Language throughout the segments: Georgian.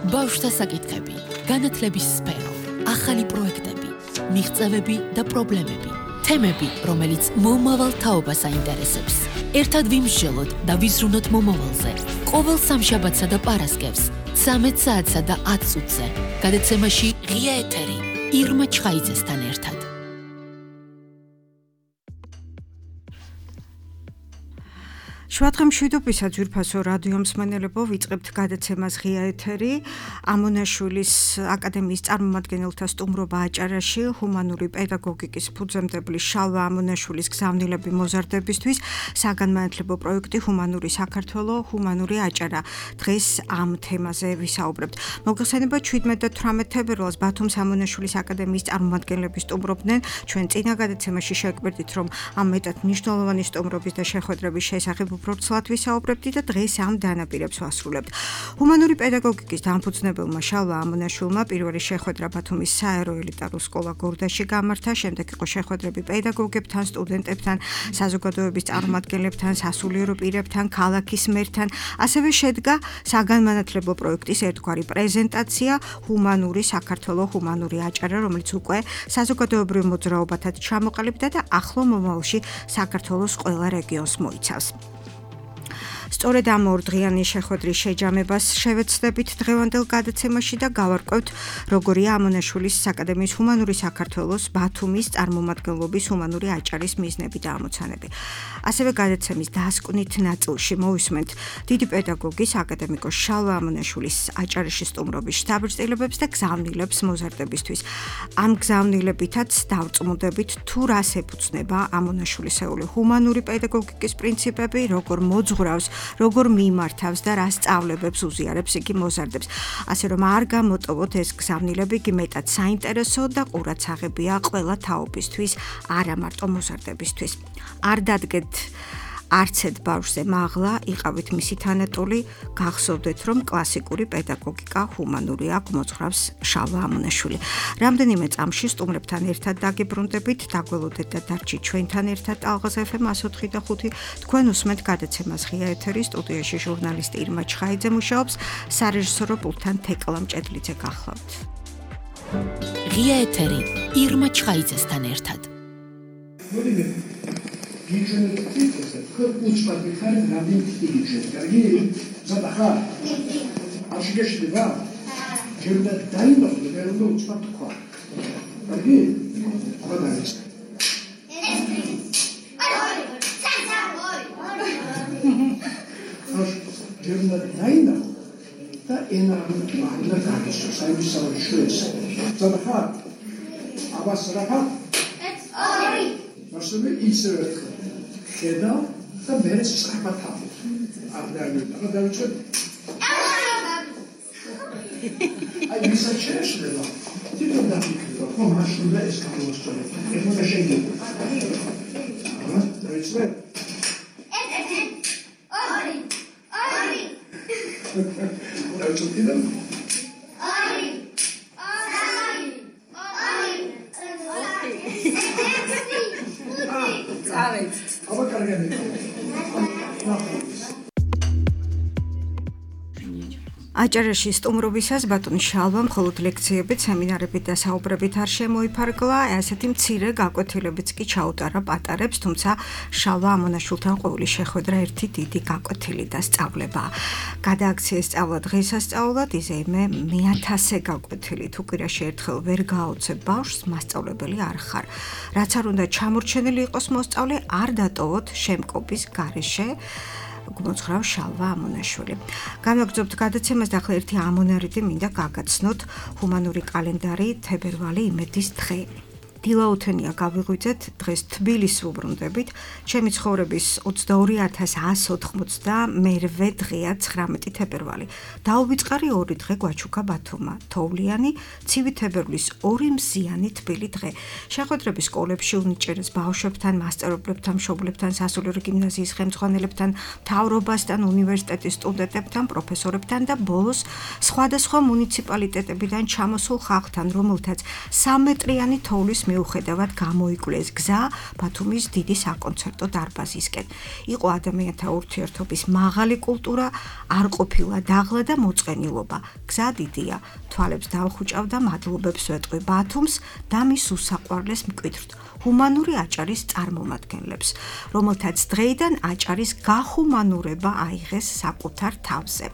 ბავშვთა საკითხები, განათლების სფერო, ახალი პროექტები, მიღწევები და პრობლემები, თემები, რომელიც მომავალ თაობას აინტერესებს. ერთად ვიმსჯელოთ და ვიზრუნოთ მომავალზე. ყოველ სამშაბათსა და პარასკევს, 13 საათსა და 10 წუთზე. გადაცემაში ღია ეთერი, ირმა ჩხაიძესთან ერთად. შვადღე მშვიდობისა ძვირფასო რადიო მსმენელებო, ვიწყებთ გადაცემას ღია ეთერი. ამონაშვილის აკადემიის წარმომადგენელთა სტუმრობა აჭარაში, ჰუმანური პედაგოგიკის ფუძემდებელი შალვა ამონაშვილის გზავნილები მოზარდებისთვის, საგანმანათლებლო პროექტი ჰუმანური საქართველო, ჰუმანური აჭარა. დღეს ამ თემაზე ვისაუბრებთ. მოგხსენება 17 და 18 თებერვალს ბათუმის ამონაშვილის აკადემიის წარმომადგენლები სტუმრობდნენ. ჩვენ წინა გადაცემაში შევკვირდით, რომ ამ მეტად მნიშვნელოვანი სტუმრობის და შეხვედრების შესახებ უბრალოდ ვისაუბრებთ და დღეს ამ დანაპირებს ვასრულებთ. ჰუმანური პედაგოგიკის დამფუძნებელმა შალვა ამონაშვილმა პირველი შეხვედრა ბათუმის საერო ელიტარულ სკოლა გორდაში გამართა, შემდეგ იყო შეხვედრები პედაგოგებთან, სტუდენტებთან, საზოგადოების წარმომადგენლებთან, სასულიერო პირებთან, ქალაქის მერთან, ასევე შედგა საგანმანათლებლო პროექტის ერთგვარი პრეზენტაცია ჰუმანური საქართველო, ჰუმანური აჭარა, რომელიც უკვე საზოგადოებრივ მოძრაობათა ჩამოყალიბდა და ახლო მომავალში საქართველოს ყველა რეგიონს მოიცავს. სწორედ ამ ორდღიანი შეხვედრის შეჯამებას შევეცდებით დღევანდელ გადაცემაში და გავარკვევთ, როგორია ამონაშვილის აკადემიის ჰუმანური საქართველოს ბათუმის წარმომადგენლობის ჰუმანური აჭარის მიზნები და ამოცანები. ასევე გადაცემის დასკვნით ნაწილში მოვისმენთ დიდი პედაგოგის აკადემიკოს შალვა ამონაშვილის აჭარაში სტუმრობის შთაბეჭდილებებს და გზავნილებს მოზარდებისთვის. ამ გზავნილებითაც დავწმუნდებით, თუ რას ეფუძნება ამონაშვილისეული ჰუმანური პედაგოგიკის პრინციპები, როგორ მოძღვრავს, როგორ მიმართავს და რა სწავლებებს უზიარებს იგი მოზარდებს. ასე რომ არ გამოტოვოთ ეს გზავნილები, იგი მეტად საინტერესო და ყურადსაღებია ყველა თაობისთვის, არა მარტო მოზარდებისთვის. არ დადგეთ არცეთ ბავშვზე მაღლა, იყავით მისი თანატოლი, გახსოვდეთ, რომ კლასიკური პედაგოგიკა ჰუმანურია, მოძღვრავს შალვა ამონაშვილი. რამდენიმე წამში სტუმრებთან ერთად დაგიბრუნდებით, დაგველოდეთ და დარჩით ჩვენთან ერთად ალღაზ FM 104 და 5. თქვენ უსმენთ გადაცემას ღია ეთერი, სტუდიაში ჟურნალისტი ირმა ჩხაიძე მუშაობს, სარეჟისორო პულტთან თეკლა მჭედლიძე გახლავთ. ღია ეთერი, ირმა ჩხაიძესთან ერთად. Uçmak bir tane Rabbim isteyecek. Yani zaten aşıgeçti var. Cemde daim oldu. Ben onu uçmak var. Yani o da işte. Cemde daim oldu. Da en önemli mahalle kardeşler. Sayın savaşıyoruz. Zaten ama sıra Nasıl bir iyi sever. Keda da beni sıkma tabi. Adlarını için. Ay bir saçma şey var. Diyor da bu maşında eskalos çalıyor. Bu da şey değil. Ama öyle. Ori. Çok iyi değil mi? Aber kann ich nicht. აჭარაში სტუმრობისას ბატონი შალვა მხოლოდ ლექციებით, სემინარებით და საუბრებით არ შემოიფარგლა, ასეთი მცირე გაკვეთილებიც კი ჩაუტარა პატარებს, თუმცა შალვა ამონაშვილთან ყოველი შეხვედრა ერთი დიდი გაკვეთილი და სწავლება. გადააქცია სწავლა დღესასწაულად, იზეიმე 1000 გაკვეთილი, თუ კვირაში ერთხელ ვერ გააოცებ ბავშვს, მასწავლებელი არ ხარ. რაც არ უნდა ჩამორჩენილი იყოს მოსწავლე, არ დატოვოთ შემკობის გარეშე. მოძღვრავს შალვა ამონაშვილი. გამოგზავნებთ გადაცემას და ახლა ერთი ამონარიდი მინდა გაგაცნოთ ჰუმანური კალენდარი თებერვალი იმედის დღე. დილაუთენია გავიღვიძეთ, დღეს თბილისს ვუბრუნდებით. ჩემი ცხოვრების 22180 მერვე დღეა 19 თებერვალი. დაუვიწყარი ორი დღე გვაჩუქა ბათუმმა. თოვლიანი, ცივი თებერვლის 2 მზიანი თბილი დღე. შეხვედრები სკოლებში უნიჭერეს ბავშვებთან, მასწავლებლებთან, მშობლებთან, სასულიერო გიმნაზიის ხელმძღვანელებთან, მთავრობასთან, უნივერსიტეტის სტუდენტებთან, პროფესორებთან და ბოლოს სხვადასხვა მუნიციპალიტეტებიდან ჩამოსულ ხალხთან, რომელთაც 3 მეტრიანი თოვლის მიუხედავად გამოიკვლეს გზა ბათუმის დიდი საკონცერტო დარბაზისკენ. იყო ადამიანთა ურთიერთობის მაღალი კულტურა, არ ყოფილა დაღლა და მოწყენილობა. გზა დიდია, თვალებს დაუხუჭავდა მადლობებს ვეტყვი ბათუმს და მის უსაყვარლეს მკვიდრთ, ჰუმანური აჭარის წარმომადგენლებს, რომელთაც დღეიდან აჭარის გახუმანურება აიღეს საკუთარ თავზე.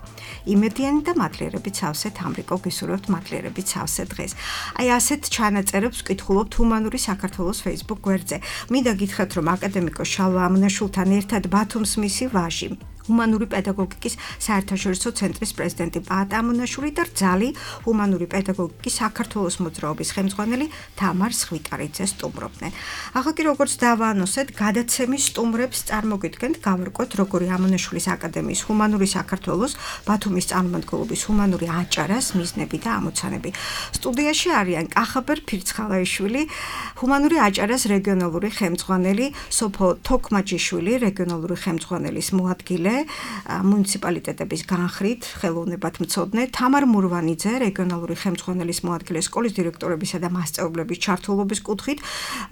იმედიანი და მადლიერებით სავსე თამრიკო გისურვებთ მადლიერებით სავსე დღეს. აი ასეთ ჩანაწერებს ვკითხულობთ ჰუმანური საქართველოს Facebook გვერდზე. მინდა გითხრათ, რომ აკადემიკოს შალვა ამონაშვილთან ერთად ბათუმს მისი ვაჟი, ჰუმანური პედაგოგიკის საერთაშორისო ცენტრის პრეზიდენტი პაატ ამონაშვილი და რძალი ჰუმანური პედაგოგიკის საქართველოს მოძრაობის ხელმძღვანელი თამარ სხვიტარიძე სტუმრობდნენ. ახლა კი როგორც დავაანონსეთ, გადაცემის სტუმრებს წარმოგიდგენთ, გავარკვევთ როგორი ამონაშვილის აკადემიის ჰუმანური საქართველოს ბათუმის წარმომადგენლობის ჰუმანური აჭარას მიზნები და ამოცანები. სტუდიაში არიან კახაბერ ფირცხალაიშვილი, ჰუმანური აჭარას რეგიონალური ხელმძღვანელი, სოფო თოქმაჯიშვილი, რეგიონალური ხელმძღვანელის მოადგილე, მუნიციპალიტეტების განხრით ხელოვნებათმცოდნე, თამარ მურვანიძე, რეგიონალური ხელმძღვანელის მოადგილე, სკოლის დირექტორებისა და მასწავლებლების ჩართულობის კუთხით,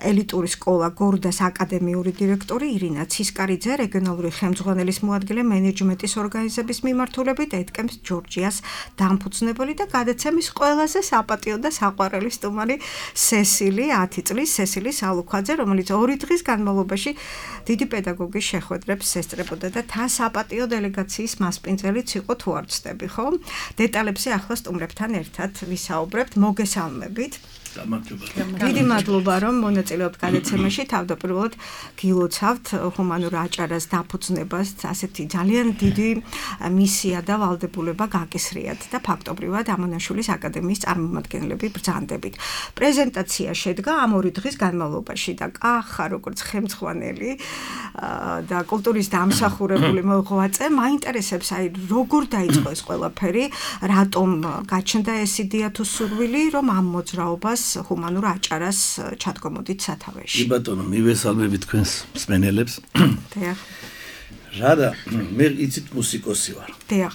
ელიტური სკოლა გორდას აკადემიური დირექტორი ირინა ცისკარიძე, რეგიონალური ხელმძღვანელის მოადგილე, მენეჯმენტის ორგანიზების მიმართულებით ეთკემს ჯორჯიას დამფუძნებელი და გადაცემის ყველაზე საპატიო და საყვარელი სტუმარი სესილი, 10 წლის სესილი სალუქვაძე, რომელიც 2 დღის განმავლობაში დიდი პედაგოგის შეხვედრებს ესწრებოდა და თან საპატიო დელეგაციის მასპინძელიც იყო, თუ არ ვცდები, ხო? დეტალებზე ახლა სტუმრებთან ერთად ვისაუბრებთ, მოგესალმებით. დიდი მადლობა, რომ მონაწილეობთ გადაცემაში. თავდაპირველად გილოცავთ ჰუმანურ აჭარას დაფუძნებას, ასეთი ძალიან დიდი მისია და ვალდებულება გაკისრიათ და ფაქტობრივად ამონაშვილის აკადემიის წარმომადგენლები ბრძანდებით. პრეზენტაცია შედგა ამ 2 დღის განმავლობაში და კახა როგორც ხელმძღვანელი და კულტურის დამსახურებული მოღვაწე მაინტერესებს, აი როგორ დაიწყო ეს ყველაფერი, რატომ გაჩნდა ეს იდეა თუ სურვილი, რომ ამ მოძრაობას ჰუმანურ აჭარას ჩადგომოდით სათავეში. კი ბატონო, მივესალმები თქვენს მსმენელებს. დიახ. რადა, მე იცით მუსიკოსი ვარ. დიახ.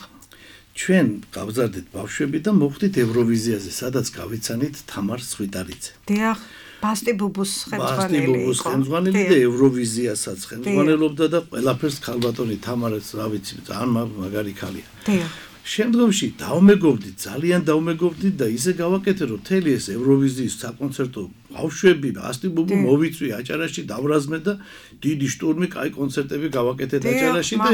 ჩვენ გავზარდეთ ბავშვები და მოვხდით ევროვიზიაზე, სადაც გავიცანით თამარ სხვიტარიძე. დიახ. ბასტი ბუბუს ხელმძღვანელი და ევროვიზიასაც ხელმძღვანელობდა და ყველაფერს ქალბატონი თამარაც, რა ვიცი, ძალიან მაგარი ქალია. დიახ. შემდგომში დავმეგობდით, ძალიან დავმეგობდით და ისე გავაკეთე, რომ მთელი ეს ევროვიზიის საკონცერტო ბავშვები, ბასტი ბუბუ მოვიწვი აჭარაში, დავრაზმე და დიდი შტურმი, კაი კონცერტები გავაკეთეთ აჭარაში და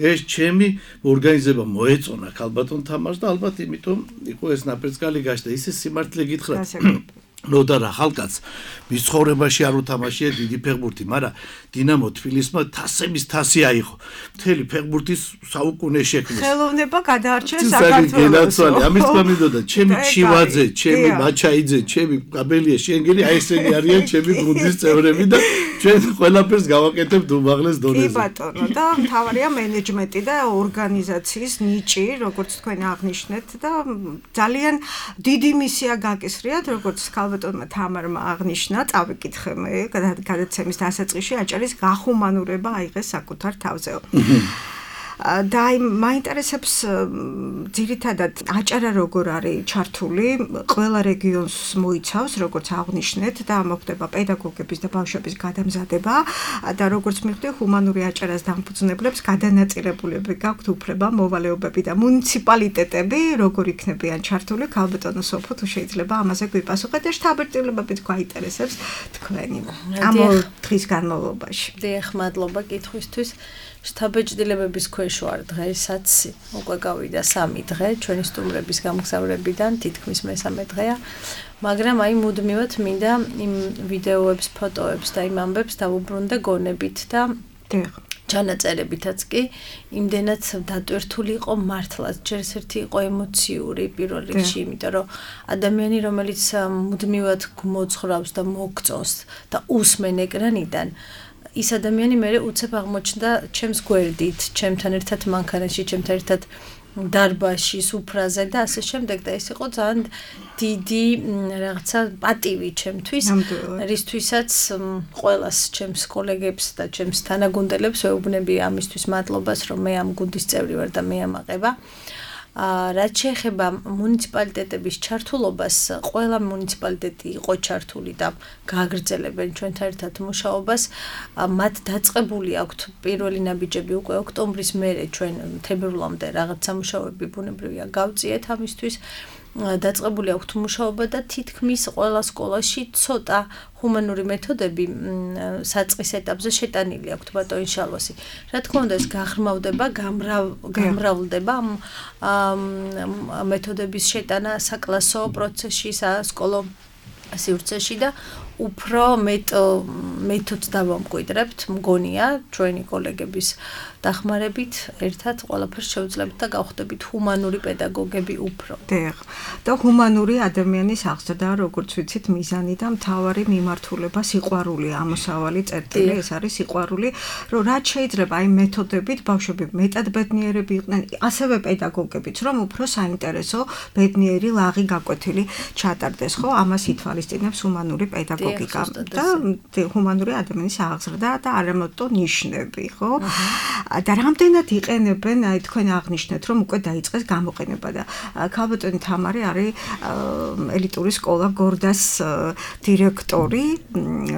ეს ჩემი ორგანიზება მოეწონა ქალბატონ თამარს და ალბათ იმიტომ იყო ეს ნაპერწკალი გაჩნდა. ისე სიმართლე გითხრათ. ნოდა რა ხალხაც მის ცხოვრებაში არ უთამაშია დიდი ფეხბურთი, მაგრამ დინამო თბილისმა თასების თასი აიღო. მთელი ფეხბურთის საუკუნე შექმნეს. ხელოვნება გადაარჩენს საქართველოს. ამის თქმა მინდოდა, ჩემი ჩივაძე, ჩემი მაჩაიძე, ჩემი კაბელია, შენგელი, აი ესენი არიან ჩემი გუნდის წევრები და ჩვენ ყველაფერს გავაკეთებთ უმაღლეს დონეზე. კი ბატონო, და მთავარია მენეჯმენტი და ორგანიზაციის ნიჭი, როგორც თქვენ აღნიშნეთ და ძალიან დიდი მისია გაკისრიათ, როგორც ბატონმა თამარმა აღნიშნა, წავიკითხე მე გადაცემის დასაწყისში აჭარის გახუმანურება აიღეს საკუთარ თავზე. და მაინტერესებს ძირითადად აჭარა როგორ არის ჩართული, ყველა რეგიონს მოიცავს, როგორც აღნიშნეთ და მოხდება პედაგოგების და ბავშვების გადამზადება და როგორც მივხვდი, ჰუმანური აჭარას დამფუძნებლებს გადანაწილებულები გაქვთ უფლება, მოვალეობები და მუნიციპალიტეტები როგორ იქნებიან ჩართული. ქალბატონო სოფო, თუ შეიძლება ამაზე გვიპასუხეთ და შთაბეჭდილებებით გვაინტერესებს თქვენი ამ დღის განმავლობაში. დიახ, მადლობა კითხვისთვის. შთაბეჭდილებების ქვეშ ვარ დღესაც, უკვე გავიდა 3 დღე ჩვენი სტუმრების გამგზავრებიდან, თითქმის მესამე დღეა, მაგრამ აი მუდმივად მინდა იმ ვიდეოებს, ფოტოებს და იმ ამბებს დავუბრუნდე გონებით და ჩანაწერებითაც კი იმდენად დატვირთული იყო მართლაც, ჯერ ერთი იყო ემოციური პირველ რიგში, იმიტომ რომ ადამიანი, რომელიც მუდმივად მოძღვრავს და მოგწონს და უსმენ ეკრანიდან, ის ადამიანი მე უცებ აღმოჩნდა ჩემს გვერდით, ჩემთან ერთად მანქანაში, ჩემთან ერთად დარბაზში, სუფრაზე და ასე შემდეგ და ეს იყო ძალიან დიდი რაღაცა პატივი ჩემთვის, რისთვისაც ყველას ჩემს კოლეგებს და ჩემს თანაგუნდელებს ვეუბნები ამისთვის მადლობას, რომ მე ამ გუნდის წევრი ვარ და მე ამაყება. რაც შეეხება მუნიციპალიტეტების ჩართულობას, ყველა მუნიციპალიტეტი იყო ჩართული და გააგრძელებენ ჩვენთან ერთად მუშაობას. მათ დაწყებული აქვთ პირველი ნაბიჯები უკვე ოქტომბრის მერე ჩვენ თებერვლამდე რაღაც სამუშაოები ბუნებრივია გავწიეთ ამისთვის. დაწყებული აქვთ მუშაობა და თითქმის ყველა სკოლაში ცოტა ჰუმანური მეთოდები საწყის ეტაპზე შეტანილი აქვთ ბატონი შალვასი. რა თქმა უნდა ეს გაღრმავდება, გამრავლდება მეთოდების შეტანა საკლასო პროცესში, სასკოლო სივრცეში და უფრო მეთოდს დავამკვიდრებთ, მგონია ჩვენი კოლეგების დახმარებით ერთად ყველაფერს შევძლებთ და გავხდებით ჰუმანური პედაგოგები უფრო. და ჰუმანური ადამიანის აღზრდა, როგორც ვიცით, მიზანი და მთავარი მიმართულება სიყვარული, ამოსავალი წერტილი, ეს არის სიყვარული, რომ რაც შეიძლება აი მეთოდებით ბავშვები მეტად ბედნიერები იყვნენ, ასევე პედაგოგებიც, რომ უფრო საინტერესო, ბედნიერი, ლაღი გაკვეთილი ჩატარდეს, ხო? ამას ითვალისწინებს ჰუმანური პედაგოგიკა და ჰუმანური ადამიანის აღზრდა და არამარტო ნიშნები, ხო? და რამდენად იყენებენ, აი თქვენ აღნიშნეთ, რომ უკვე დაიწყეს გამოყენება და ქალბატონი თამარი არის ელიტური სკოლა გორდას დირექტორი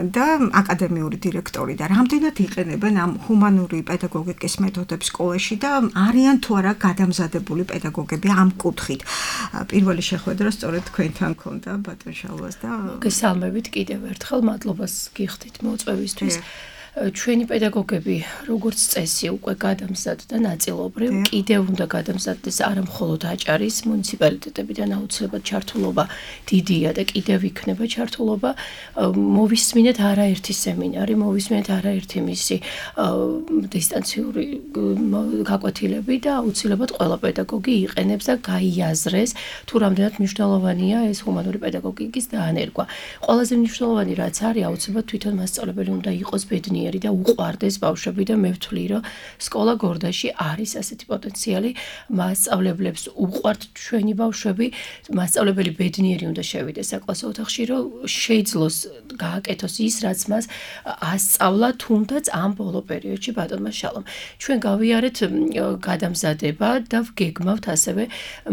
და აკადემიური დირექტორი და რამდენად იყენებენ ამ ჰუმანური პედაგოგიკის მეთოდებს სკოლაში და არიან თუ არა გადამზადებული პედაგოგები ამ კუთხით. პირველი შეხვედრა სწორედ თქვენთან ქონდა ბატონ შალვას და გესალმებით კიდევ ერთხელ მადლობას გიხდით მოწვევისთვის. ჩვენი პედაგოგები როგორც წესი უკვე გადამზადდა ნაწილობრივ, კიდევ უნდა გადამზადდეს არა მხოლოდ აჭარის მუნიციპალიტეტებიდან აუცილებლად ჩართულობა დიდია და კიდევ იქნება ჩართულობა. მოვისმინეთ არაერთი სემინარი, მოვისმინეთ არაერთი მისი დისტანციური გაკვეთილები და აუცილებლად ყველა პედაგოგი იყენებს და გაიაზრეს თუ რამდენად მნიშვნელოვანია ეს ჰუმანური პედაგოგიკის დაანერგვა. ყველაზე მნიშვნელოვანი რაც არის, აუცილებლად თვითონ მასწავლებელი უნდა იყოს ბედნიერი და უყვარდეს ბავშვები და მე ვთვლი, რომ სკოლა გორდაში არის ასეთი პოტენციალი, მასწავლებლებს უყვართ ჩვენი ბავშვები, მასწავლებელი ბედნიერი უნდა შევიდეს საკლასო ოთახში, რომ შეძლოს გააკეთოს ის, რაც მას ასწავლა თუნდაც ამ ბოლო პერიოდში ბატონმა შალომ. ჩვენ გავიარეთ გადამზადება და ვგეგმავთ ასევე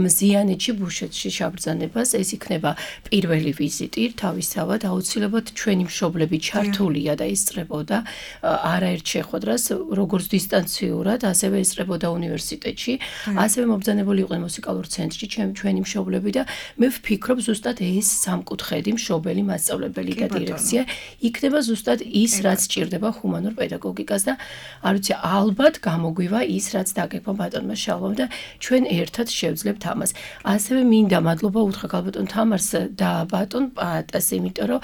მზიანეთში ბუშეთში შაბრძანებას, ეს იქნება პირველი ვიზიტი, თავისთავად აუცილებლად ჩვენი მშობლები ჩართულია და ისწრებოდა არაერთ შეხვედრას, როგორც დისტანციურად, ასევე ესწრებოდა უნივერსიტეტში, ასევე მობრძანებული იყვნენ მუსიკალურ ცენტრში ჩვენი მშობლები და მე ვფიქრობ ზუსტად ეს სამკუთხედი მშობელი, მასწავლებელი და დირექცია იქნება ზუსტად ის, რაც სჭირდება ჰუმანურ პედაგოგიკას და არ ვიცი, ალბათ გამოგვივა ის, რაც დაგეგმა ბატონმა შალვამ და ჩვენ ერთად შევძლებთ ამას. ასევე მინდა მადლობა უთხრა ქალბატონ თამარს და ბატონ პატას, იმიტომ რომ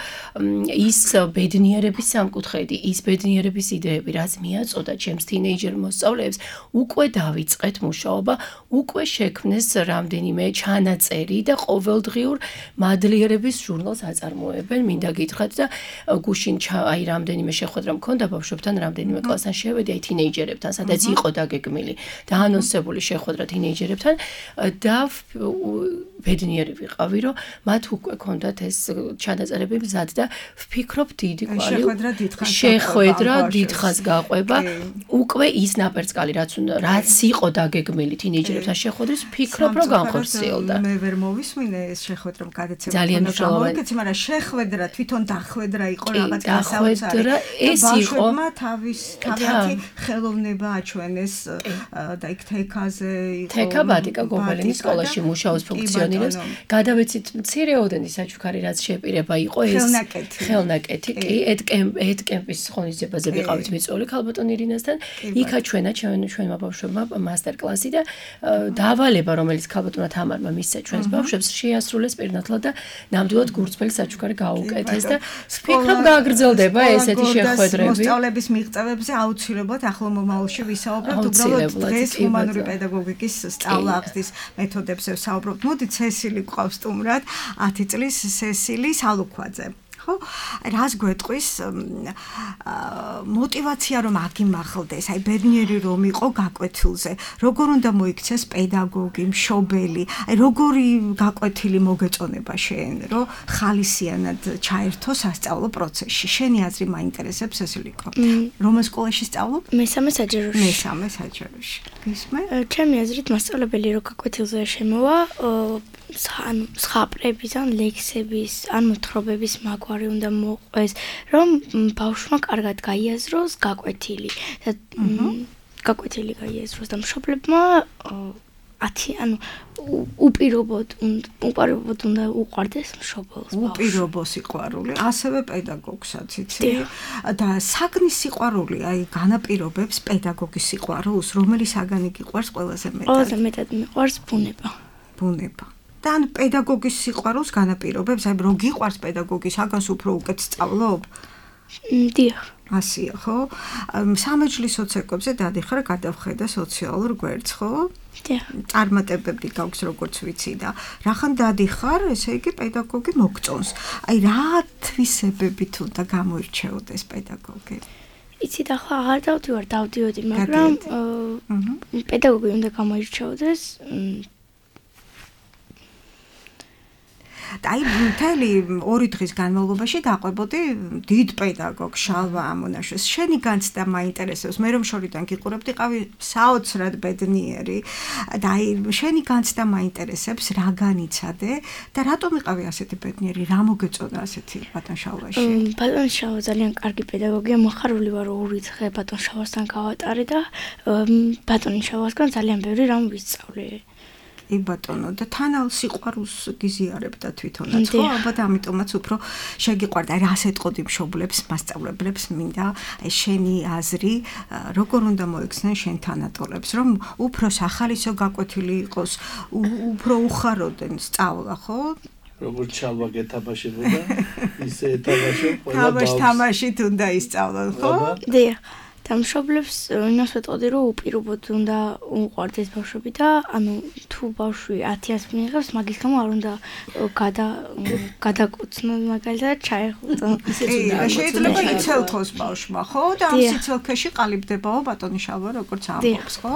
ის ბედნიერების სამკუთხედი, ის ბედნიერების იდეები, რაც მიაწოდა ჩემს თინეიჯერ მოსწავლეებს, უკვე დავიწყეთ მუშაობა, უკვე შექმნეს რამდენიმე ჩანაწერი და ყოველდღიურ მადლიერების ჟურნალს აწარმოებენ. მინდა გითხრათ და გუშინ აი რამდენიმე შეხვედრა მქონდა ბავშვებთან, რამდენიმე კლასთან შევედი აი თინეიჯერებთან, სადაც იყო დაგეგმილი და ანონსებული შეხვედრა თინეიჯერებთან და ბედნიერი ვიყავი, რომ მათ უკვე ქონდათ ეს ჩანაწერები მზად და ვფიქრობ დიდი კვალი შეხვედრა დიდხანს გაყვება, უკვე ის ნაპერწკალი რაც იყო დაგეგმილი თინეიჯერებთან შეხვედრის, ვფიქრობ რომ განხორციელდა. მე ვერ მოვისმინე ეს შეხვედრა გადაცემა. ძალიან მნიშვნელოვანი. მაგრამ შეხვედრა თვითონ დახვედრა იყო რაღაც გასაოცარი. ეს იყო თავიანთი ხელოვნება აჩვენეს და იქ თეკაზე იყო. თეკა ბატიკა გობელინის სკოლაში მუშაობს, ფუნქციონირებს. გადავეცით მცირეოდენი საჩუქარი რაც შეპირება იყო ეს ხელნაკეთი. კი, ედკემპის ღონისძიებაზე ვიყავით მიწვეული ქალბატონ ირინასთან. იქა ჩვენმა ბავშვებმა მასტერკლასი და დავალება, რომელიც ქალბატონმა თამარმა მისცა ჩვენს ბავშვებს, შეასრულეს პირნათლად და ნამდვილად გურწმელი საჩუქარი გაუკეთეს და ვფიქრობ გააგრძელდება ესეთი შეხვედრები. მოსწავლების მიღწევებზე აუცილებლად ახლო მომავალში ვისაუბრებთ, უბრალოდ დღეს ჰუმანური პედაგოგიკის სწავლა აღზრდის მეთოდებზე ვსაუბრობთ. მოდით სესილი გვყავს სტუმრად, 10 წლის სესილი სალუქვაძე. ხო? რას გვეტყვის мотивация რომ აგიმახლდეს, აი ბედნიერი რომ იყო გაკვეთილზე, როგორ უნდა მოიქცეს პედაგოგი, მშობელი, აი როგორი გაკვეთილი მოგეწონება შენ, რომ ხალისიანად ჩაერთო სასწავლო პროცესში. შენი აზრი მაინტერესებს ესილიკო. რომელ სკოლაში სწავლობ? მესამე საჯაროში. მესამე საჯაროში. გისმე? ჩემი აზრით მასწავლებელი რო გაკვეთილზე შემოვა, სხაპრების ან ლექსების ან მოთხრობების მაგვარი უნდა მოყვეს, რომ ბავშვმა კარგად გაიაზროს გაკვეთილი და გაკვეთილი გაიაზროს და მშობლებმა უპირობოდ უნდა უყვარდეს მშობელს. უპირობო სიყვარული, ასევე პედაგოგსაც იცი და საგნის სიყვარული, აი განაპირობებს პედაგოგის სიყვარულს, რომელი საგანი გიყვარს ყველაზე მეტად? ყველაზე მეტად მიყვარს ბუნება. ბუნება. და ან პედაგოგის სიყვარულს განაპირობებს, აი რო გიყვარს პედაგოგი, საგანს უფრო უკეთ სწავლობ? დიახ. ასია, ხო? სამეჯლისო ცეკვებზე დადიხარ, გადავხედა სოციალურ გვერდს, ხო? დიახ. წარმატებები გაქვს როგორც ვიცი და რახან დადიხარ, ესე იგი პედაგოგი მოგწონს. აი რა თვისებებით უნდა გამოირჩეოდეს პედაგოგი? იცი და ახლა აღარ დავდივოდი, მაგრამ პედაგოგი უნდა გამოირჩეოდეს აი მთელი 2 დღის განმავლობაში დაყვებოდი დიდ პედაგოგ შალვა ამონაშვილს. შენი განცდა მაინტერესებს. მე რომ შორიდან გიყურებდიყავი საოცრად ბედნიერი და აი შენი განცდა მაინტერესებს, რა განიცადე და რატომ იყავი ასეთი ბედნიერი? რა მოგეწონა ასეთი ბატონ შალვაში? ბატონ შალვა ძალიან კარგი პედაგოგია. მოხარული ვარ 2 დღე ბატონ შალვასთან გავატარე და ბატონ შალვასგან ძალიან ბევრი რამ ვისწავლე. ი ბატონო და თანალ სიყვარულს გიზიარებდა თვითონაც ხო ალბათ ამიტომაც უფრო შეგიყვარდა აი რას ეტყოდი მშობლებს მასწავლებლებს მინდა აი შენი აზრი როგორ უნდა მოექცნენ შენ თანატოლებს რომ უფრო სახალისო გაკვეთილი იყოს უფრო უხაროდენ სწავლა ხო როგორც ჩალვა გეთამაშებოდა ისე ეთამაშო ყველა ბავშვს თამაშით უნდა ისწავლონ ხო დიახ და მშობლებს იმას ვეტყოდი რომ უპირობოდ უნდა უყვარდეს ბავშვები და ანუ თუ ბავშვი 1000-ს მიიღებს მაგის გამო არ უნდა გადაკოცნოს მაგალითად ჩაეხუტო შეიძლება იცელთოს ბავშვმა ხო და ამ სიცოცხლეში ყალიბდებაო ბატონი შალვა როგორც ამბობს ხო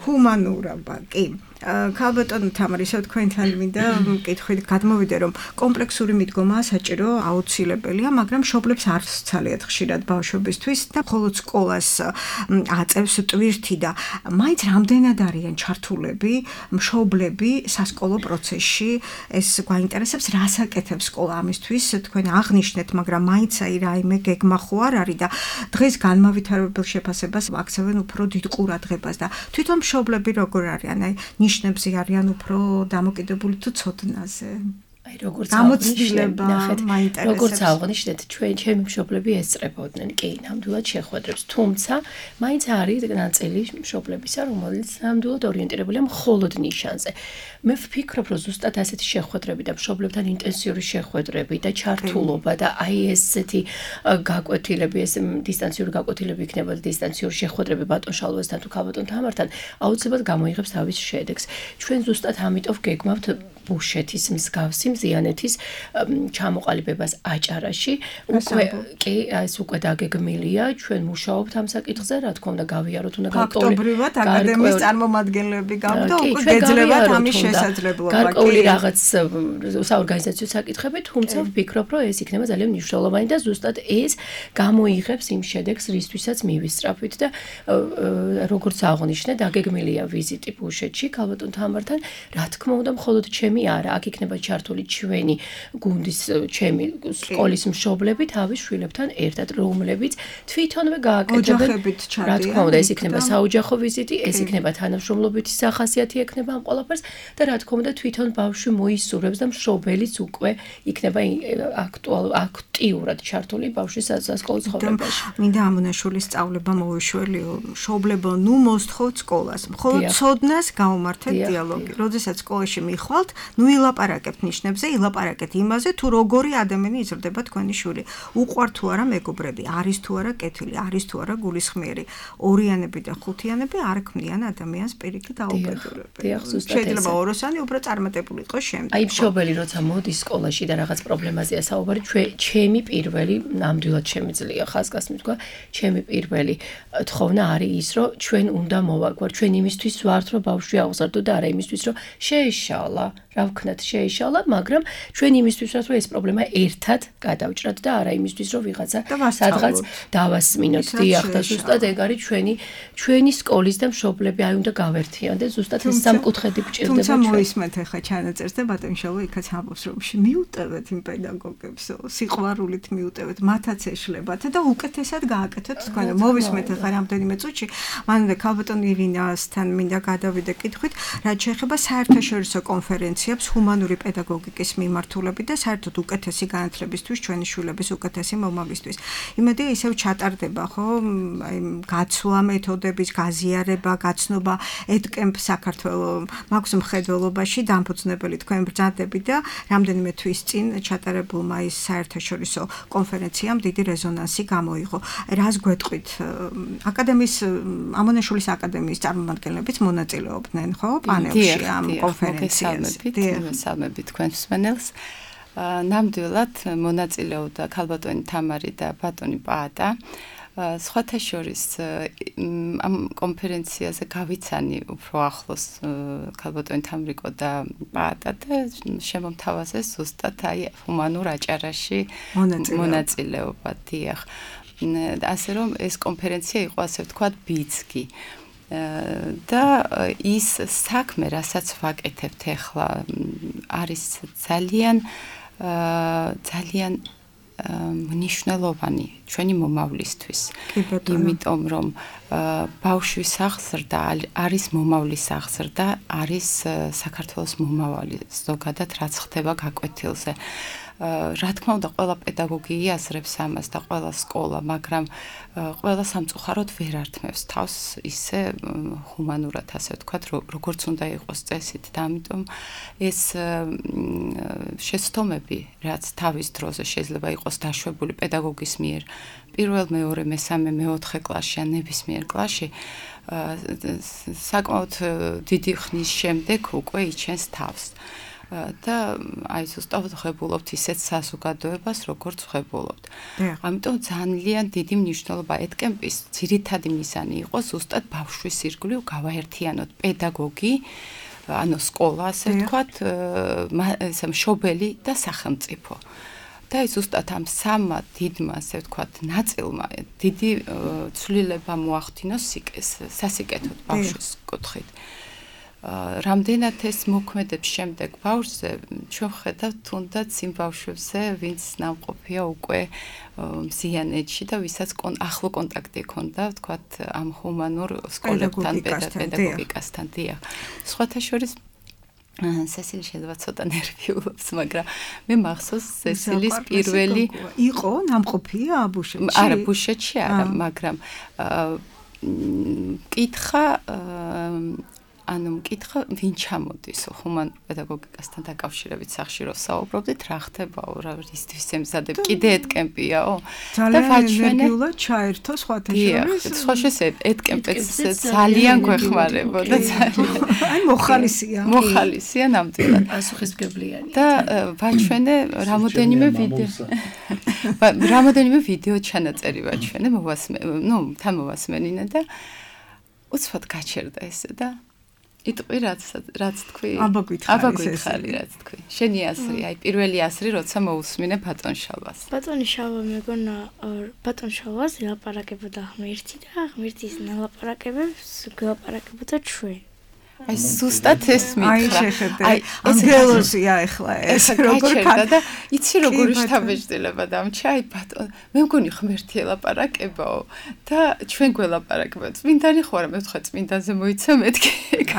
ჰუმანურობა კი ქალბატონო თამარ ისევ თქვენთან მინდა მკითხვით გადმოვიდე რომ კომპლექსური მიდგომა საჭირო აუცილებელია მაგრამ მშობლებს არ სცალიათ ხშირად ბავშვებისთვის და მხოლოდ სკოლას აწევს ტვირთი და მაინც რამდენად არიან ჩართულები მშობლები სასკოლო პროცესში ეს გვაინტერესებს რას აკეთებს სკოლა ამისთვის თქვენ აღნიშნეთ მაგრამ მაინც აი რაიმე გეგმა ხო არ არის და დღეს განმავითარებელ შეფასებას აქცევენ უფრო დიდ ყურადღებას და თვითონ მშობლები როგორ არიან აი ნიშნებზე არიან უფრო დამოკიდებული თუ ცოდნაზე. აი როგორც გამოცდილება მაინტერესებს. როგორც აღნიშნეთ, ჩემი მშობლები ესწრებოდნენ, კი, ნამდვილად შეხვედრებს, თუმცა მაინც არის ნაწილი მშობლებისა, რომელიც ნამდვილად ორიენტირებულია მხოლოდ ნიშანზე. მე ვფიქრობ, რომ ზუსტად ასეთი შეხვედრები და მშობლებთან ინტენსიური შეხვედრები და ჩართულობა და აი ესეთი გაკვეთილები, ეს დისტანციური გაკვეთილები იქნება და დისტანციური შეხვედრები ბატონ შალვასთან თუ ქალბატონ თამართან აუცილებლად გამოიღებს თავის შედეგს. ჩვენ ზუსტად ამიტომ გეგმავთ ბუშეთის მსგავსი მზიანეთის ჩამოყალიბებას აჭარაში კი ეს უკვე დაგეგმილია ჩვენ მუშაობთ ამ საკითხზე რა თქმა უნდა გავიაროთ უნდა ფაქტობრივად აკადემიის წარმომადგენლები გავდა უკვე გეძლებათ ამის შესაძლებლობა გარკვეული რაღაც საორგანიზაციო საკითხები თუმცა ვფიქრობ რომ ეს იქნება ძალიან მნიშვნელოვანი და ზუსტად ეს გამოიღებს იმ შედეგს რისთვისაც მივისწრაფვით და როგორც აღნიშნე დაგეგმილია ვიზიტი ბუშეთში ქალბატონ თამართან რა თქმა უნდა მხოლოდ ჩემი არა აქ იქნება ჩართული ჩვენი გუნდის ჩემი სკოლის მშობლები თავის შვილებთან ერთად რომლებიც თვითონვე გააკეთებენ რა თქმა უნდა ეს იქნება საოჯახო ვიზიტი ეს იქნება თანამშრომლობითი სახასიათი ექნება ამ ყველაფერს და რა თქმა უნდა თვითონ ბავშვი მოისურვებს და მშობელიც უკვე იქნება აქტიურად ჩართული ბავშვის სასკოლო ცხოვრებაში მინდა ამონაშვილის სწავლება მოვიშველიო მშობლებო ნუ მოსთხოვთ სკოლას მხოლოდ ცოდნას გაუმართეთ დიალოგი როდესაც სკოლაში მიხვალთ ნუ ილაპარაკებთ ნიშნებზე, ილაპარაკეთ იმაზე, თუ როგორი ადამიანი იზრდება თქვენი შვილი. უყვართ თუ არა მეგობრები, არის თუ არა კეთილი, არის თუ არა გულისხმიერი. ორიანები და ხუთიანები არ ქმნიან ადამიანს პირიქით აუბედურებენ. შეიძლება ოროსანი უფრო წარმატებული იყოს შემდეგ. აი მშობელი როცა მოდის სკოლაში და რაღაც პრობლემაზეა საუბარი, ჩემი პირველი ნამდვილად შემიძლია ხაზგასმით თქვა, ჩემი პირველი თხოვნა არის ის, რომ ჩვენ უნდა მოვაგვარ, ჩვენ იმისთვის ვართ, რომ ბავშვი აღზარდო და არა იმისთვის, რომ შეეშალა, რა ვქნათ, შეეშალა, მაგრამ ჩვენ იმისთვის ვართ, რომ ეს პრობლემა ერთად გადავჭრათ და არა იმისთვის, რომ ვიღაცა სადღაც დავასმინოთ. დიახ, და ზუსტად ეგ არის ჩვენი სკოლის და მშობლები აი უნდა გავერთიან და ზუსტად ეს სამკუთხედი გჭირდება. თუმცა მოისმენთ ახლა ჩანაწერს და ბატონიშალო იქაც ამბობს, რომ მიუტევეთ იმ პედაგოგებს, სიყვარულით მიუტევეთ, მათაც ეშლებათ და უკეთესად გააკეთოთ თქვენ. მოვისმენთ ახლა რამდენიმე წუთში, მანამდე ქალბატონ ირინასთან მინდა გადავიდე კითხვით, რაც შეეხება საერთაშორისო კონფერენციებს ჰუმანური პედაგოგიკის მიმართულებით და საერთოდ უკეთესი განათლებისთვის, ჩვენი შვილების უკეთესი მომავლისთვის. იმედია ისევ ჩატარდება, ხო, აი გაცვლა მეთოდების გაზიარება, გაცნობა ედკემპ საქართველოს მაქვს მხედველობაში დამფუძნებელი თქვენ ბრძანდებით და რამდენიმე თვის წინ ჩატარებულმა ის საერთაშორისო კონფერენციამ დიდი რეზონანსი გამოიღო. რას გვეტყვით? აკადემიის ამონაშვილის აკადემიის წარმომადგენლებიც მონაწილეობდნენ, ხო, პანელში ამ კონფერენციაზე. მოგესალმებით თქვენ მსმენელს. ნამდვილად მონაწილეობდა ქალბატონი თამარი და ბატონი პაატა. სხვათა შორის ამ კონფერენციაზე გავიცანი უფრო ახლოს ქალბატონი თამრიკო და პაატა და შემომთავაზეს ზუსტად აი ჰუმანურ აჭარაში მონაწილეობა. დიახ. ასე რომ ეს კონფერენცია იყო ასე ვთქვათ ბიძგი. და ის საქმე, რასაც ვაკეთებთ ახლა, არის ძალიან მნიშვნელოვანი ჩვენი მომავლისთვის. იმიტომ რომ ბავშვის აღზრდა არის მომავლის აღზრდა, არის საქართველოს მომავალი ზოგადად რაც ხდება გაკვეთილზე. რა თქმა უნდა, ყველა პედაგოგი იაზრებს ამას და ყველა სკოლა, მაგრამ ყველა სამწუხაროდ ვერ ართმევს თავს ისე ჰუმანურად, ასე ვთქვათ, როგორც უნდა იყოს წესით და ამიტომ ეს შეცდომები, რაც თავის დროზე შეიძლება იყოს დაშვებული პედაგოგის მიერ, პირველ, მეორე, მესამე, მეოთხე კლასში ან ნებისმიერ კლასში, საკმაოდ დიდი ხნის შემდეგ უკვე იჩენს თავს. და აი ზუსტად ვღებულობთ ისეთ საზოგადოებას, როგორც ვღებულობთ. ამიტომ ძალიან დიდი მნიშვნელობა ედკემპის ძირითადი მიზანი იყო ზუსტად ბავშვის ირგვლივ გავაერთიანოთ პედაგოგი, ანუ სკოლა, ასე ვთქვათ, მშობელი და სახელმწიფო. და აი ზუსტად ამ სამმა დიდმა, ასე ვთქვათ, ნაწილმა დიდი ცვლილება მოახდინოს სასიკეთოდ ბავშვის კუთხით. რამდენად ეს მოქმედებს შემდეგ ბავშვზე, ჩვენ ვხედავთ თუნდაც იმ ბავშვებზე, ვინც ნამყოფია უკვე მზიანეთში და ვისაც ახლო კონტაქტი ჰქონდა, ვთქვათ, ამ ჰუმანურ სკოლებთან, პედაგოგიკასთან. დიახ. სხვათა შორის სესილი შეიძლება ცოტა ნერვიულობს, მაგრამ მე მახსოვს სესილის პირველი იყო ნამყოფია ბუშეთში. არა, ბუშეთში არა, მაგრამ კითხა მკითხა ვინ ჩამოდის ჰუმან პედაგოგიკასთან დაკავშირებით სახში რო საუბრობდით, რა ხდებაო, რა ისთვის ემზადებ, კიდე ედკემპიაო? ძალიან ენერგიულად ჩაერთო სხვათა შორის. სხვა შეს ედკემპიც ძალიან გვეხმარებოდა, ძალიან. აი მოხალისია. მოხალისია ნამდვილად. პასუხისმგებლიანი. და ვაჩვენე რამოდენიმე ვიდეო ჩანაწერი ვაჩვენე, თან მოვასმენინე და უცბად გაჩერდა ესე და იტყვი რაც თქვი? აბა გითხარი რაც თქვი. შენი აზრი, აი პირველი აზრი, როცა მოусმინე ბატონ შალვას. ბატონი შალვა მეგონა ბატონ შალვას ლაპარაკებოდა ღმერთი და ღმერთის ლაპარაკებებს გლაპარაკებოდა ჩვენ. აი ზუსტად ეს მითხრა. აი ანგელოზია ახლა ეს როგორ და იცი როგორ შთაბეჭდილება დამჩა, აი ბატონ, მე მგონი ღმერთი ელაპარაკებაო და ჩვენ გველაპარაკებთ. წმინდანი ხო არა, მე ვთქვა წმინდანზე მოიცა მეთქი.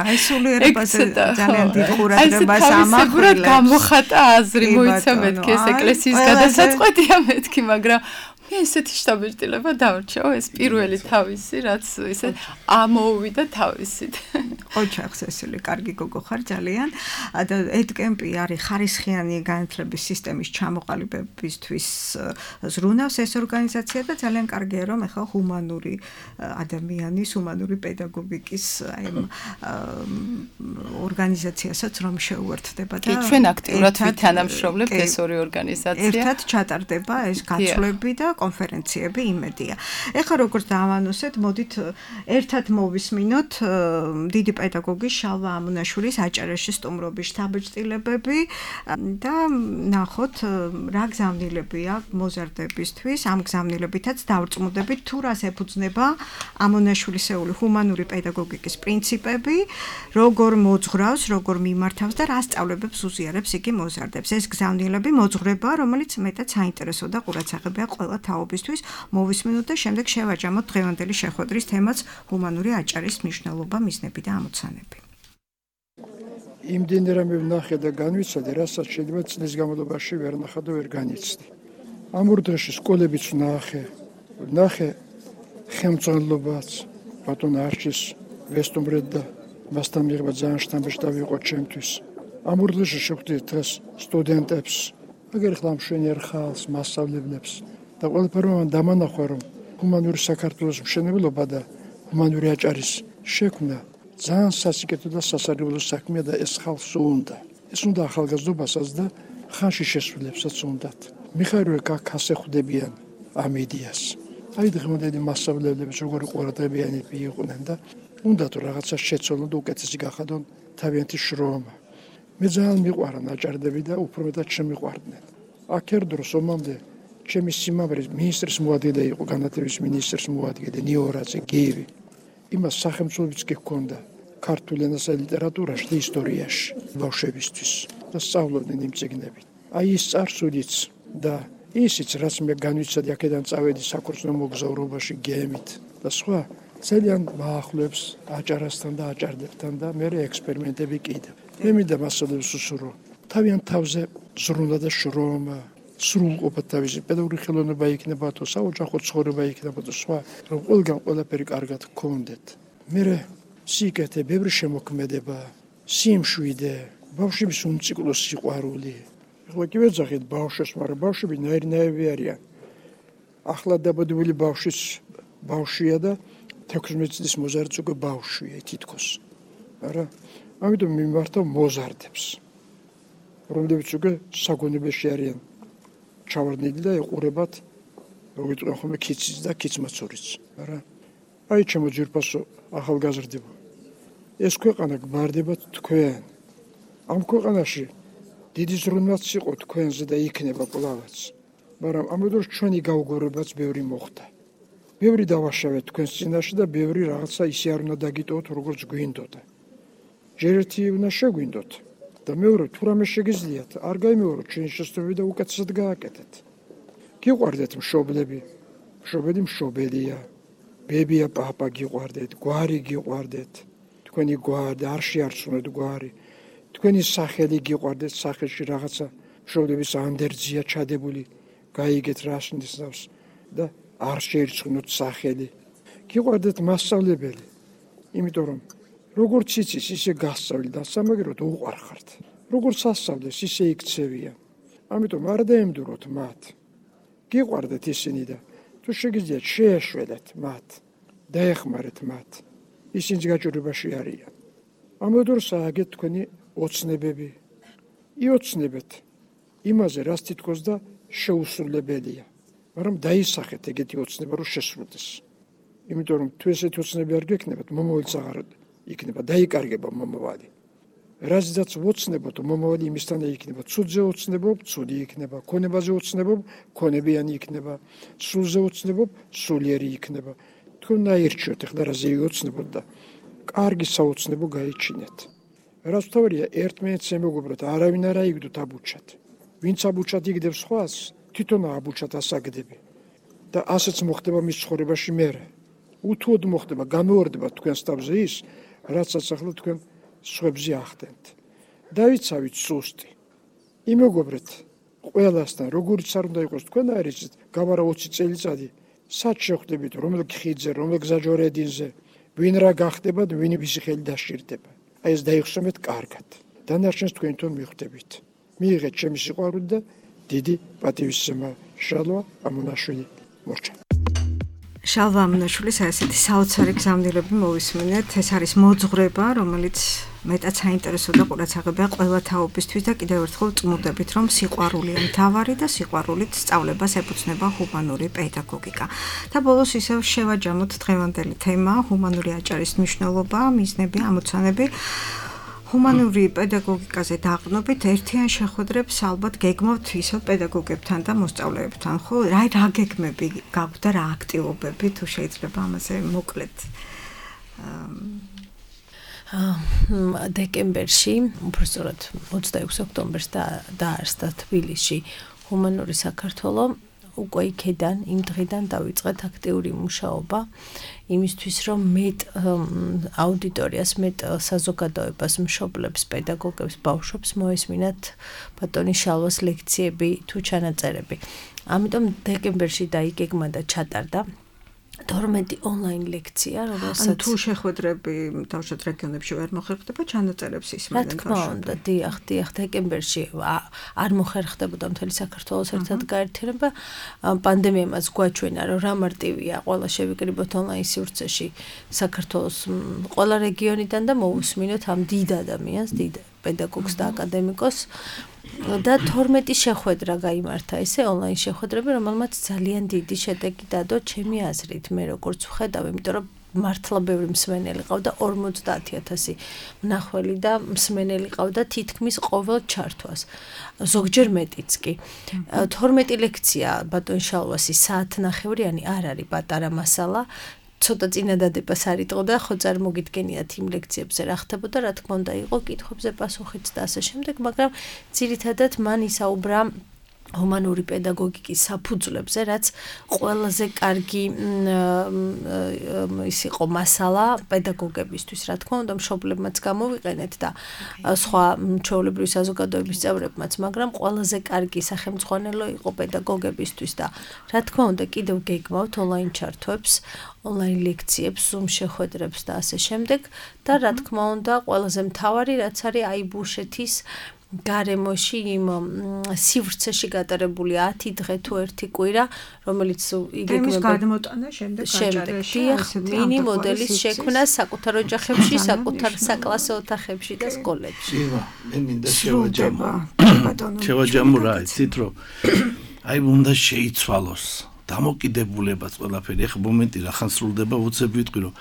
აი სულიერებაზე ძალიან დიდ ყურადღებას ამახვილებს. გამოხატა აზრი მოიცა მეთქი, ეს ეკლესიის გადასაწყვეტია მეთქი, მაგრამ ესეთი შთაბეჭდილება დავრჩაო, ეს პირველი თავისი, რაც ისე ამოუვიდა თავისით. ოჩახს ესული კარგი გოგო ხარ ძალიან. და ედკემპი არის ხარისხიანი განათლების სისტემის ჩამოყალიბებისთვის ზრუნავს ეს ორგანიზაცია და ძალიან კარგია რომ ახლა ჰუმანური ადამიანის, ჰუმანური პედაგოგიკის ორგანიზაციასაც რომ შეუერთდება და ჩვენ აქტიურად ვითანამშრომლებთ ეს ორი ორგანიზაცია. ერთად ჩატარდება ეს გაცვლები და კონფერენციები იმედია. ეხლა როგორც დავანონსეთ, მოდით ერთად მოვისმინოთ დიდი პედაგოგი შალვა ამონაშვილის აჭარაში სტუმრობის შთაბეჭდილებები და ნახოთ რა გზავნილებია მოზარდებისთვის. ამ გზავნილებითაც დავწმუნდებით თუ რას ეფუძნება ამონაშვილისეული ჰუმანური პედაგოგიკის პრინციპები, როგორ მოძღვრავს, როგორ მიმართავს და რა სწავლებებს უზიარებს იგი მოზარდებს. ეს გზავნილები მოძღვრება, რომელიც მეტად საინტერესო და ყურადსაღებია ყველა თაობისთვის. მოვისმინოთ და შემდეგ შევაჯამოთ დღევანდელი შეხვედრის თემაც ჰუმანური აჭარის მნიშვნელობა, მიზნები და ამოცანები. იმდენი რამე ვნახე და განვიცადე, რასაც შეიძლება წლის განმავლობაში ვერ ნახა და ვერ განიცდი. ამ ორ დღეში სკოლებიც ვნახე ხელმძღვანელობაც, ბატონ არჩის ვესტუმრეთ და მასთან მიღება ძალიან შთამბეჭდავი იყო ჩემთვის. ამ ორ დღეში შევხვდით დღეს სტუდენტებს, აგერ ხლა მშვენიერ ხალხს, მასწავლებლებს და ყველაფერმა დამანახვა, რომ ჰუმანური საქართველოს მშენებლობა და ჰუმანური აჭარის შექმნა ძალიან სასიკეთო და სასარგებლო საქმეა და ეს ხალხს უნდა. ეს უნდა ახალგაზრდობასაც და ხანში შესრულებსაც უნდათ. მიხარია კაკას ეხვდებიან ამ იდეას. აი დღემდე მასწავლებლებს როგორი ყურადღებიანები იყვნენ და უნდათ რაღაცა შეცვალონ და უკეთესი გახადონ თავიანთი შრომა. მე ძალიან მიყვარა აჭარდები და უფრო მეტად შემიყვარდნენ. აქ ერთ დროს ომამდე ჩემი სიმამრის მინისტრის მოადგილე იყო, განათლების მინისტრის მოადგილე ნიორაძე გიევი. იმას სახელმწიფოებიც კი ჰქონდა ქართულ ენასა და ლიტერატურაში და ისტორიაში ბავშვებისთვის და სწავლობდნენ იმ წიგნებით. აი ის წარსულიც და ისიც რაც მე განვიცადი აქედან წავედი საქორწინო მოგზაურობაში გემით და სხვა ძალიან მაახლებს აჭარასთან და აჭარდებთან და მე ექსპერიმენტები კიდევ. მე მინდა მასწავლებლებს უსურო თავიანთ თავზე ზრუნვა და შრომა, სრულყოფა თავისი პედაგოგიური ხელოვნება იქნება თუ საოჯახო ცხოვრება იქნება თუ სხვა, რომ ყველგან ყველაფერი კარგად გქონდეთ. მე სიკეთე, ბევრი შემოქმედება, სიმშვიდე, ბავშვების უნციკლო სიყვარული. ეხლა კი ვეძახით ბავშვებს, მაგრამ ბავშვები ნაირნაირები არიან. ახლა დაბადებული ბავშვია და 16 წლის მოზარდიც უკვე ბავშვია თითქოს. არა, ამიტომ მიმართავ მოზარდებს, რომლებიც უკვე საგონებელში არიან ჩავარდნილი და ეყურებათ როგორ თქვენ ხოლმე ქიცის და ქიცმაცურიც. არა, აი ჩემო ძვირფასო ახალგაზრდებო, ეს ქვეყანა გმარდებათ თქვენ. ამ ქვეყანაში დიდი ზრუნვაც იყო თქვენზე და იქნება კვლავაც, მაგრამ ამ დროს ჩვენი გაუგებრებაც ბევრი მოხდა. ბევრი დავაშავეთ თქვენს წინაშე და ბევრი რაღაცა ისე არ უნდა დაგიტოვოთ, როგორც გვინდოდა. ჯერ ერთი უნდა შეგვინდოთ და მეორე თუ რამე შეგიძლიათ, არ გაიმეოროთ ჩვენი შესწავლები და უკეთესად გააკეთეთ. გიყვარდეთ მშობლები, მშობელი მშობელია, ბებია, პაპა გიყვარდეთ, გვარი გიყვარდეთ, თქვენი გვარი, არ შეარწმუნეთ გვარი, თქვენი სახელი გიყვარდეთ, სახელში რაღაცა მშობლების ანდერძია ჩადებული, გაიგეთ რას ნიშნავს და არ შეირწმუნოთ სახელი. გიყვარდეთ მასწავლებელი, იმიტომ რომ როგორც იცის, ისე გასწავლი და სამაგეროდ უყვარხართ. როგორც ასწავლეს, ისე იქცევიან. ამიტომ არ დაემდუროთ მათ. გიყვარდეთ ისინი და თუ შეგიძლიათ შეეშველეთ მათ, დაეხმარეთ მათ. ისინი გაჭირვებაში არიან. ამ დროს ააგეთ თქვენი ოცნებები. იოცნებეთ იმაზე, რაც თითქოს და შეუსრულებელია. მაგრამ დაისახეთ ეგეთი ოცნება, რომ შესრულდეს. იმიტომ რომ თუ ესეთი ოცნები არ გექნებათ, მომავალიც აღარ იქნება, დაიკარგება მომავალი. რაზეც ვოცნებოთ, მომავალი იმისთანა იქნება. ცუდზე ოცნებობ, ცუდი იქნება. ქონებაზე ოცნებობ, ქონებიანი იქნება. სულზე ოცნებობ, სულიერი იქნება. თქვენ აირჩიოთ ახლა რაზე ვიოცნებოთ და კარგი საოცნებო გაიჩინეთ. რაც თავია ერთმანეთს ემეგობროთ, არავინ არ აიგდოთ აბუჩად. ვინც აბუჩად იგდებს სხვას, თვითონ აბუჩად ასაგდები. და ასეც მოხდება მის ცხოვრებაში მერე. უთუოდ მოხდება, გამეორდება თქვენს თავზე ის, რაცაც ახლა თქვენ სხვებზე ახდენთ. დავიცავით სუსტი. იმეგობრეთ ყველასთან, როგორც არ უნდა იყოს თქვენ არის გავარა 20 წელიწადი, სად შეხვდებით, რომელ ხიდზე, რომელ გზაჯვარედინზე, ვინ რა გახდება და ვინ ვისი ხელი დასჭირდება. აი ეს დაიხსომეთ კარგად. დანარჩენს თქვენ თვითონ მიხვდებით. მიიღეთ ჩემი სიყვარული და დიდი პატივისცემა. შალვა ამონაშვილი მორჩა. შალვა ამონაშვილის ასეთი საოცარი გზავნილები მოვისმინეთ. ეს არის მოძღვრება, რომელიც მეტად საინტერესო და ყურადღებაა ყველა თაობისთვის და კიდევ ერთხელ წმუდებით, რომ სიყვარულია მთავარი და სიყვარულით სწავლებას ეფუძნება ჰუმანური პედაგოგიკა. და ბოლოს ისევ შევაჯამოთ დღევანდელი თემა, ჰუმანური აჭარის მნიშვნელობა, მიზნები, ამოცანები. ჰუმანური პედაგოგიკაზე დაყრდნობით ერთიან შეხვედრებს ალბათ გეგმავთ ისევ პედაგოგებთან და მოსწავლეებთან, ხო? რა გეგმები გაქვთ და რა აქტივობები, თუ შეიძლება ამაზე მოკლედ დეკემბერში, უბრალოდ 26 ოქტომბერს დაარსდა თბილისში ჰუმანური საქართველო. უკვე იქიდან, იმ დღიდან დავიწყეთ აქტიური მუშაობა იმისთვის, რომ მეტ აუდიტორიას, მეტ საზოგადოებას, მშობლებს, პედაგოგებს, ბავშვებს მოესმინათ ბატონი შალვას ლექციები თუ ჩანაწერები. ამიტომ დეკემბერში დაიგეგმა და ჩატარდა 12 ონლაინ ლექცია, რომელსაც თუ შეხვედრები თავშოთ რეგიონებში ვერ მოხერხდება, ჩანაწერებს ისმენენ. რა თქმა უნდა, დიახ, დეკემბერში არ მოხერხდებოდა მთელი საქართველოს ერთად გაერთიანება. პანდემია მას გვაჩვენა, რომ რა მარტივია ყველა შევიკრიბოთ ონლაინ სივრცეში საქართველოს ყველა რეგიონიდან და მოусმინოთ ამ დიდ ადამიანს, დიდ პედაგოგს და აკადემიკოს. და 12 შეხვედრა გაიმართა ესე ონლაინ შეხვედრები, რომელმაც ძალიან დიდი შედეგი დადო ჩემი აზრით, მე როგორც ვხედავ, იმიტომ რომ მართლა ბევრი მსმენელი ყავდა 50,000 მნახველი და მსმენელი ყავდა თითქმის ყოველ ჩართვას. ზოგჯერ მეტიც კი. 12 ლექცია ბატონ შალვასი საათნახევრიანი არ არის პატარა მასალა. ცოტა წინადადებას არ იტყო და ხო წარმოგიდგენიათ იმ ლექციებზე რა ხდებოდა, რა თქმა უნდა იყო კითხვებზე პასუხიც და ასე შემდეგ, მაგრამ ძირითადად მან ისაუბრა ჰუმანური პედაგოგიკის საფუძვლებზე, რაც ყველაზე კარგი ის იყო მასალა პედაგოგებისთვის, რა თქმა უნდა, მშობლებმაც გამოვიყენეთ და სხვა ჩვეულებრივი საზოგადოების წევრებმაც, მაგრამ ყველაზე კარგი სახელმძღვანელო იყო პედაგოგებისთვის და რა თქმა უნდა, კიდევ გეგმავთ ონლაინ ჩართვებს, ონლაინ ლექციებს, Zoom შეხვედრებს და ასე შემდეგ და რა თქმა უნდა, ყველაზე მთავარი რაც არის აი ბუშეთის გარემოში იმ სივრცეში გატარებული 10 დღე თუ 1 კვირა, რომელიც იგეგმება გადმოტანა შემდეგ მინი მოდელის შექმნა საკუთარ ოჯახებში, საკუთარ საკლასო ოთახებში და სკოლებში. მე მინდა შევაჯამო რა, იცით რომ აი უნდა შეიცვალოს დამოკიდებულებაც ყველაფერი. ეხლა მომენტი რახან სრულდება, უცებ ვიტყვი რომ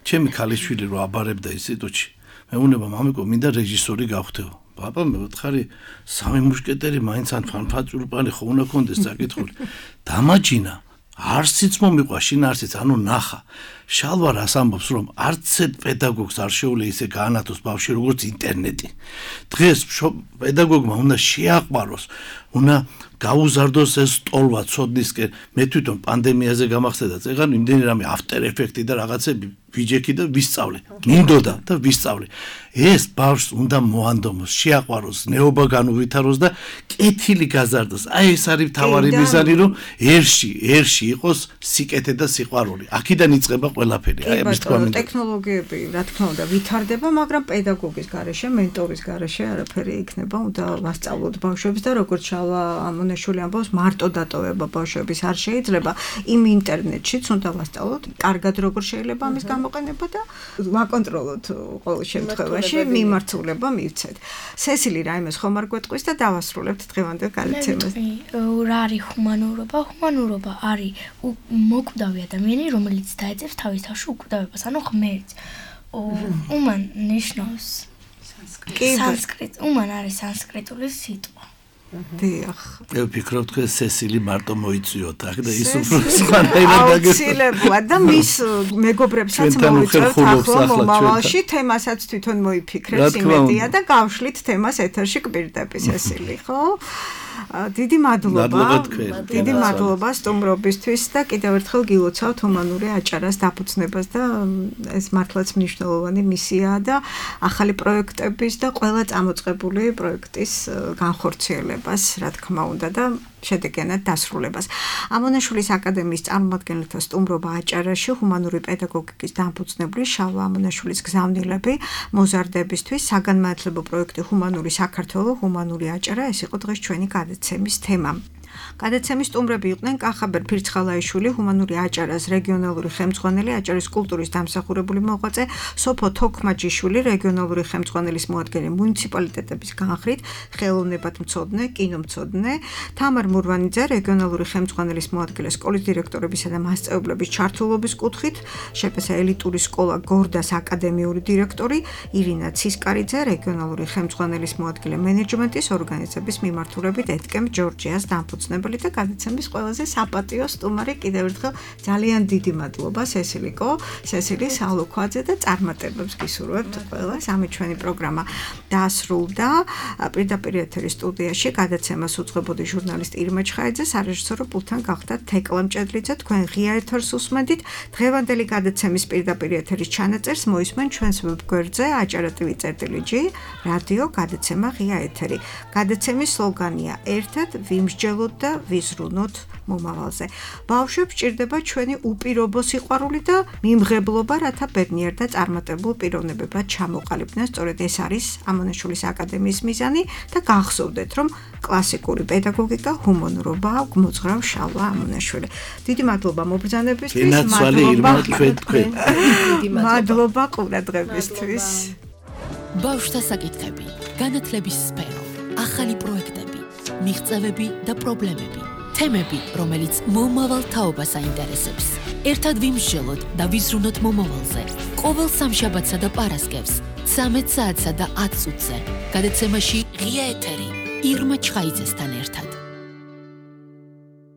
ჩემი ქალიშვილი რო აბარებდა ინსტიტუტში, მე უნება მამიკო მინდა რეჟისორი გავხდეო. Papa, მე ვთხარი სამი მუშკეტერი მაინც ან ფანფაჭულპანი ხო უნდა კონდეს საკითხული. დამაჯინა, არსიც მომიყვა, შინ არსიც, ანუ ნახა. შალვა რას ამბობს, რომ არც პედაგოგს არ შეუძლია ისე გაანათოს ბავშვი როგორც ინტერნეტი. დღეს პედაგოგმა უნდა შეაყვაროს, უნდა გაუზარდოს ეს ტოლვა ცოდნისკენ. მე თვითონ პანდემიაზე გამახსენდა, წეგან იმდენი რამე after effect-ი და რაღაცები ვიჯექი და ვისწავლე. მინდოდა და ვისწავლე. ეს ბავშვს უნდა მოანდომოს, შეაყვაროს, ნეობა განუვითაროს და კეთილი გაზარდოს. აი ეს არის მთავარი მიზანი, რომ ერში იყოს სიკეთე და სიყვარული. აქედან იწყება ყველაფერი. აი ამის თქვა მინდა. ტექნოლოგიები, რა თქმა უნდა, ვითარდება, მაგრამ პედაგოგის გარეშე, მენტორის გარეშე არაფერი იქნება. უნდა ვასწავლოთ ბავშვებს და როგორც შალვა ამონაშვილი ამბობს, მარტო დატოვება ბავშვების არ შეიძლება. იმ ინტერნეტშიც უნდა ვასწავლოთ, კარგად როგორ შეიძლება ამის გამოყენება და ვაკონტროლოთ ყოველ შემთხვევაში, მიმართულება მივცეთ. სესილი რაიმეს ხომ არ გვეტყვის და დავასრულებთ დღევანდელ გადაცემას. რა არის ჰუმანურობა? ჰუმანურობა არის მოკვდავი ადამიანი, რომელიც დაეძებს თავის თავში უკვდავებას, ანუ ღმერთს. უმან ნიშნავს სანსკრიტ. უმან არის სანსკრიტული სიტყვა. დიახ. მე ვფიქრობ თქვენ სესილი მარტო მოიწვიოთ აქ და ის უფრო სხვანაირად აუცილებლად და მის მეგობრებსაც მოიწვევთ ახლა მომავალში თემასაც თვითონ მოიფიქრეთ იმედია და გავშლით თემას ეთერში კვირდები სესილი, ხო? დიდი მადლობა სტუმრობისთვის და კიდევ ერთხელ გილოცავთ ჰუმანური აჭარას დაფუძნებას და ეს მართლაც მნიშვნელოვანი მისიაა და ახალი პროექტების და ყველა წამოწყებული პროექტის განხორციელებას, რა თქმა უნდა და შედეგიანად დასრულებას. ამონაშვილის აკადემიის წარმომადგენელთა სტუმრობა აჭარაში ჰუმანური პედაგოგიკის დამფუძნებელი შალვა ამონაშვილის გზავნილები მოზარდებისთვის საგანმანათლებლო პროექტი ჰუმანური საქართველო, ჰუმანური აჭარა, ეს იყო დღეს ჩვენი გადაცემის თემა. გადაცემის სტუმრები იყვნენ კახაბერ ფირცხალაიშვილი, ჰუმანური აჭარას რეგიონალური ხელმძღვანელი, აჭარის კულტურის დამსახურებული მოღვაწე, სოფო თოქმაჯიშვილი, რეგიონალური ხელმძღვანელის მოადგილე მუნიციპალიტეტების განხრით, ხელოვნებათმცოდნე, კინომცოდნე, თამარ მურვანიძე, რეგიონალური ხელმძღვანელის მოადგილე, სკოლის დირექტორებისა და მასწავლებლების ჩართულობის კუთხით, შეპესა ელიტური სკოლა გორდას აკადემიური დირექტორი, ირინა ცისკარიძე, რეგიონალური ხელმძღვანელის მოადგილე მენეჯმენტის ორგანიზების მიმართულებით ეთკემ ჯორჯიას დამფუძნებელი და გადაცემის ყველაზე საპატიო სტუმარი კიდევ ერთხელ ძალიან დიდი მადლობა სესილი სალოქვაძე და წარმატებებს გისურვებთ ყველას. ამით ჩვენი პროგრამა დასრულდა. პირდაპირ ეთერის სტუდიაში გადაცემას უძღვებოდი ჟურნალისტი ირმა ჩხაიძე, სარეჟისორო პულტთან გახდა თეკლა მჭედლიძე. თქვენ ღია ეთერს უსმენდით. დღევანდელი გადაცემის პირდაპირ ეთერის ჩანაწერს მოისმენ ჩვენს ვებგვერდზე aჭara.tv/g რადიო გადაცემა ღია ეთერი. გადაცემის სლოგანია ერთად ვიმსჯელოთ და ვიზრუნოთ მომავალზე. ბავშვებს ჭირდება ჩვენი უპირობო სიყვარული და მიმღებლობა, რათა ბედნიერ და წარმატებულ პიროვნებებად ჩამოყალიბდნენ. სწორედ ეს არის ამონაშვილის აკადემიის მიზანი და გახსოვდეთ, რომ კლასიკური პედაგოგიკა ჰუმანურობა მოძღრავ შალვა ამონაშვილი. დიდი მადლობა მობრძანებისთვის, მადლობა ყურადღებისთვის. ბავშვთა საკითხები, განათლების სფერო, ახალი პროექტები, მიღწევები და პრობლემები, თემები, რომელიც მომავალ თაობას აინტერესებს. ერთად ვიმსჯელოთ და ვიზრუნოთ მომავალზე. ყოველ სამშაბათსა და პარასკევს 13 საათსა და 10 წუთზე. გადაცემაში ღია ეთერი ირმა ჩხაიძესთან ერთად.